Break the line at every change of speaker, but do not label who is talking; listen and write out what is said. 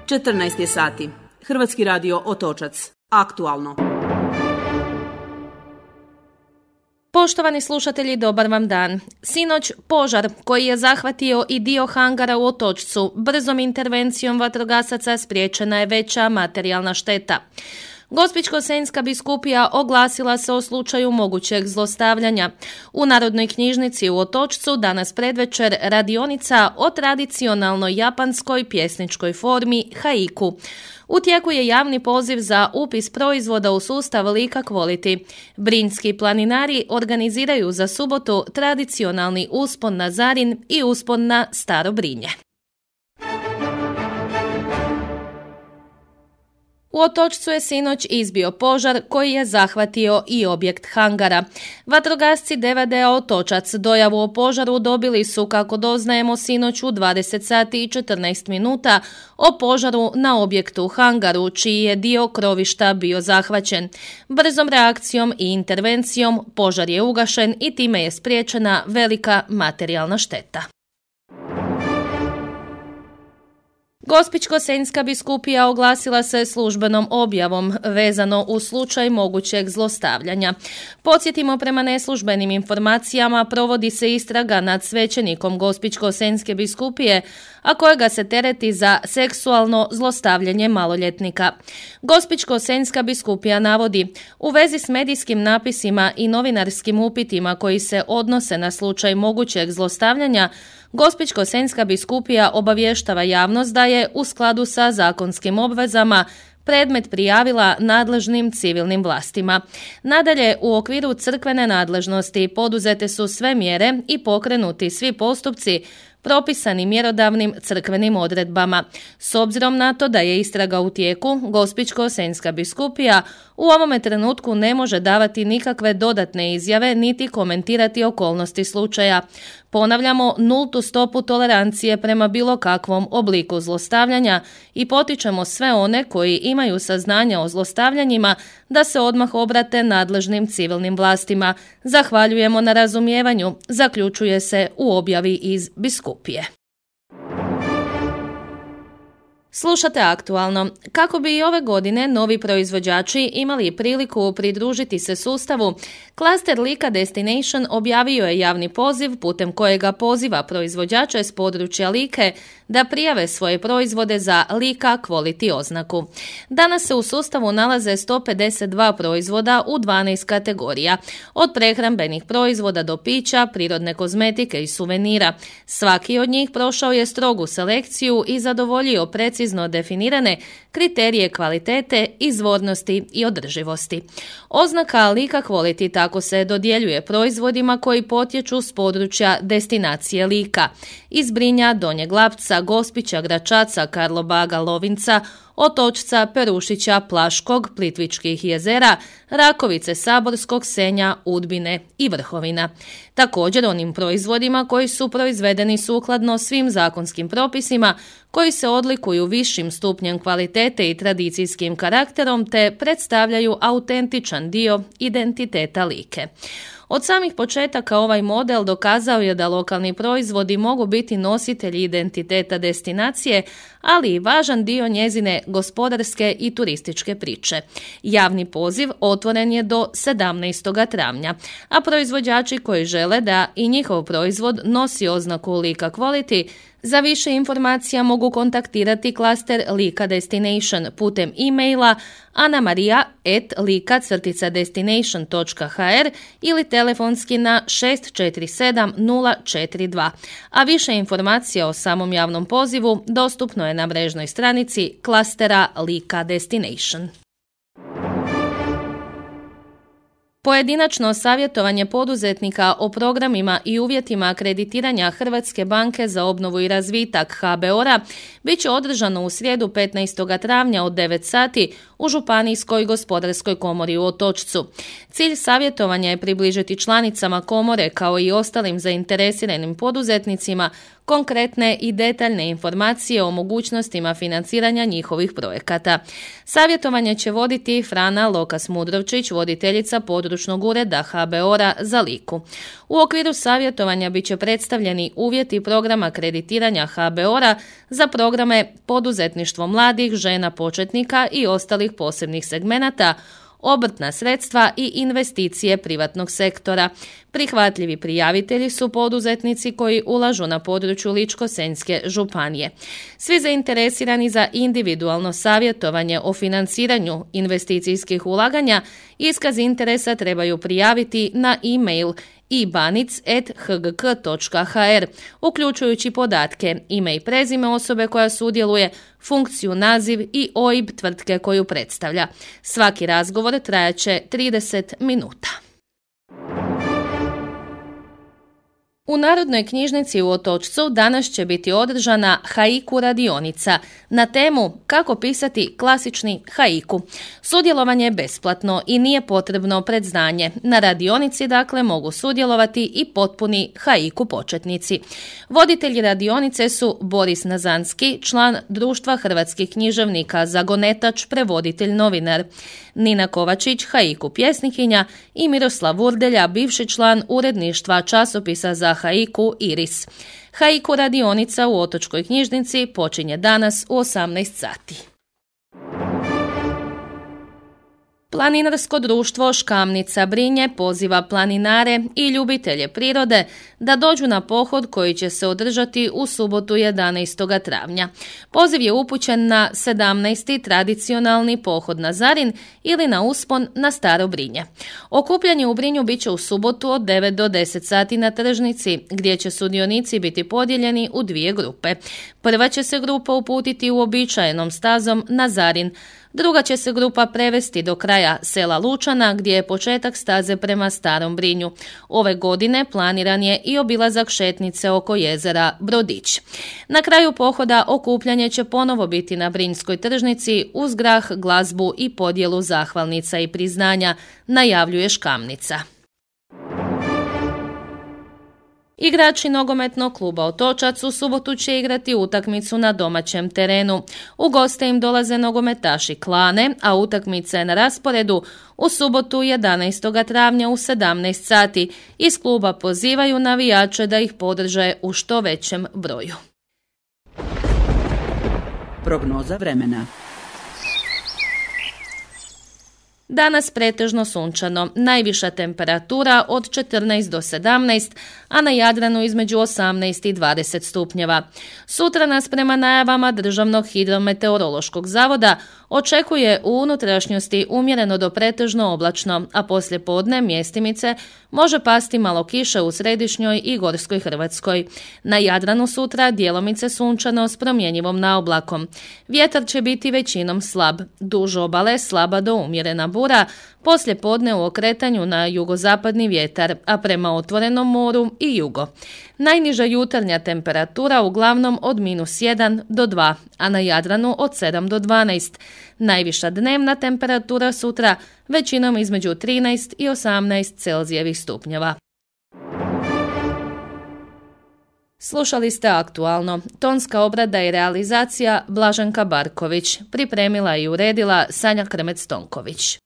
14 je sati. Hrvatski radio Otočac. Aktualno.
Poštovani slušatelji, dobar vam dan. Sinoć požar koji je zahvatio i dio hangara u Otočcu, brzom intervencijom vatrogasaca spriječena je veća materijalna šteta. Gospićko-senjska biskupija oglasila se o slučaju mogućeg zlostavljanja. U Narodnoj knjižnici u Otočcu danas predvečer radionica o tradicionalnoj japanskoj pjesničkoj formi haiku. U tijeku je javni poziv za upis proizvoda u sustav Lika Quality. Brinjski planinari organiziraju za subotu tradicionalni uspon na Zarin i uspon na Staro Brinje. U Otočcu je sinoć izbio požar koji je zahvatio i objekt hangara. Vatrogasci DVD-a Otočac dojavu o požaru dobili su, kako doznajemo, sinoć u 20 sati i 14 minuta o požaru na objektu u hangaru, čiji je dio krovišta bio zahvaćen. Brzom reakcijom i intervencijom požar je ugašen i time je spriječena velika materijalna šteta. Gospićko-senjska biskupija oglasila se službenom objavom vezano u slučaj mogućeg zlostavljanja. Podsjetimo, prema neslužbenim informacijama provodi se istraga nad svećenikom Gospićko-senjske biskupije, a kojega se tereti za seksualno zlostavljanje maloljetnika. Gospićko-senjska biskupija navodi: u vezi s medijskim napisima i novinarskim upitima koji se odnose na slučaj mogućeg zlostavljanja, Gospićko-senjska biskupija obavještava javnost da je u skladu sa zakonskim obvezama predmet prijavila nadležnim civilnim vlastima. Nadalje, u okviru crkvene nadležnosti poduzete su sve mjere i pokrenuti svi postupci propisani mjerodavnim crkvenim odredbama. S obzirom na to da je istraga u tijeku, Gospićko-senjska biskupija u ovome trenutku ne može davati nikakve dodatne izjave niti komentirati okolnosti slučaja. Ponavljamo nultu stopu tolerancije prema bilo kakvom obliku zlostavljanja i potičemo sve one koji imaju saznanja o zlostavljanjima da se odmah obrate nadležnim civilnim vlastima. Zahvaljujemo na razumijevanju, zaključuje se u objavi iz biskupije. Slušate Aktualno. Kako bi i ove godine novi proizvođači imali priliku pridružiti se sustavu, klaster Lika Destination objavio je javni poziv putem kojega poziva proizvođače s područja Like da prijave svoje proizvode za Lika Quality oznaku. Danas se u sustavu nalaze 152 proizvoda u 12 kategorija, od prehrambenih proizvoda do pića, prirodne kozmetike i suvenira. Svaki od njih prošao je strogu selekciju i zadovoljio precizno definirane kriterije kvalitete, izvornosti i održivosti. Oznaka Lika Quality tako se dodjeljuje proizvodima koji potječu s područja destinacije Lika, iz Brinja, Donjeg Lapca, Gospića, Gračaca, Karlobaga, Lovinca, Otočca, Perušića, Plaškog, Plitvičkih jezera, Rakovice, Saborskog, Senja, Udbine i Vrhovina. Također onim proizvodima koji su proizvedeni sukladno svim zakonskim propisima, koji se odlikuju višim stupnjem kvalitete i tradicijskim karakterom te predstavljaju autentičan dio identiteta Like. Od samih početaka ovaj model dokazao je da lokalni proizvodi mogu biti nositelji identiteta destinacije, ali i važan dio njezine gospodarske i turističke priče. Javni poziv otvoren je do 17. travnja, a proizvođači koji žele da i njihov proizvod nosi oznaku Lika Quality, za više informacija mogu kontaktirati klaster Lika Destination putem e-maila anamaria@lika-destination.hr ili telefonski na 647 042. A više informacija o samom javnom pozivu dostupno je na mrežnoj stranici klastera Lika Destination. Pojedinačno savjetovanje poduzetnika o programima i uvjetima akreditiranja Hrvatske banke za obnovu i razvitak HBOR-a bit će održano u srijedu 15. travnja od 9 sati u Županijskoj gospodarskoj komori u Otočcu. Cilj savjetovanja je približiti članicama komore kao i ostalim zainteresiranim poduzetnicima konkretne i detaljne informacije o mogućnostima financiranja njihovih projekata. Savjetovanje će voditi Frana Lokas-Mudrovčić, voditeljica područnog ureda HBOR-a za Liku. U okviru savjetovanja bit će predstavljeni uvjeti programa kreditiranja HBOR-a za programe poduzetništvo mladih, žena početnika i ostalih posebnih segmenata, obrtna sredstva i investicije privatnog sektora. Prihvatljivi prijavitelji su poduzetnici koji ulažu na području Ličko-senjske županije. Svi zainteresirani za individualno savjetovanje o financiranju investicijskih ulaganja iskaz interesa trebaju prijaviti na e-mail ibanic@hgk.hr, uključujući podatke, ime i prezime osobe koja sudjeluje, funkciju, naziv i OIB tvrtke koju predstavlja. Svaki razgovor trajaće 30 minuta. U Narodnoj knjižnici u Otočcu danas će biti održana haiku radionica na temu kako pisati klasični haiku. Sudjelovanje je besplatno i nije potrebno predznanje. Na radionici dakle mogu sudjelovati i potpuni haiku početnici. Voditelji radionice su Boris Nazanski, član Društva hrvatskih književnika, zagonetač, prevoditelj, novinar, Nina Kovačić, haiku pjesnikinja i Miroslav Urdelja, bivši član uredništva časopisa za haiku Iris. Haiku radionica u Otočkoj knjižnici počinje danas u 18 sati. Planinarsko društvo Škamnica Brinje poziva planinare i ljubitelje prirode da dođu na pohod koji će se održati u subotu 11. travnja. Poziv je upućen na 17. tradicionalni pohod na Zarin ili na uspon na Staro Brinje. Okupljanje u Brinju bit će u subotu od 9 do 10 sati na tržnici, gdje će sudionici biti podijeljeni u dvije grupe. Prva će se grupa uputiti uobičajenom stazom na Zarin. Druga će se grupa prevesti do kraja sela Lučana, gdje je početak staze prema Starom Brinju. Ove godine planiran je i obilazak šetnice oko jezera Brodić. Na kraju pohoda okupljanje će ponovo biti na Brinjskoj tržnici uz grah, glazbu i podjelu zahvalnica i priznanja, najavljuje Škamnica. Igrači nogometnog kluba Otočac u subotu će igrati utakmicu na domaćem terenu. U goste im dolaze nogometaši Klane, a utakmica je na rasporedu u subotu 11. travnja u 17 sati. Iz kluba pozivaju navijače da ih podrže u što većem broju.
Prognoza vremena.
Danas pretežno sunčano, najviša temperatura od 14 do 17, a na Jadranu između 18 i 20 stupnjeva. Sutra nas prema najavama Državnog hidrometeorološkog zavoda očekuje u unutrašnjosti umjereno do pretežno oblačno, a poslije podne mjestimice može pasti malo kiše u središnjoj i gorskoj Hrvatskoj. Na Jadranu sutra djelomice sunčano s promjenjivom naoblakom. Vjetar će biti većinom slab, duž obale slaba do umjerena bura, poslije podne u okretanju na jugozapadni vjetar, a prema otvorenom moru i jugo. Najniža jutarnja temperatura uglavnom od -1 do 2, a na Jadranu od 7 do 12. Najviša dnevna temperatura sutra većinom između 13 i 18 Celzijevih stupnjeva. Slušali ste Aktualno. Tonska obrada i realizacija Blaženka Barković. Pripremila i uredila Sanja Krmec-Tonković.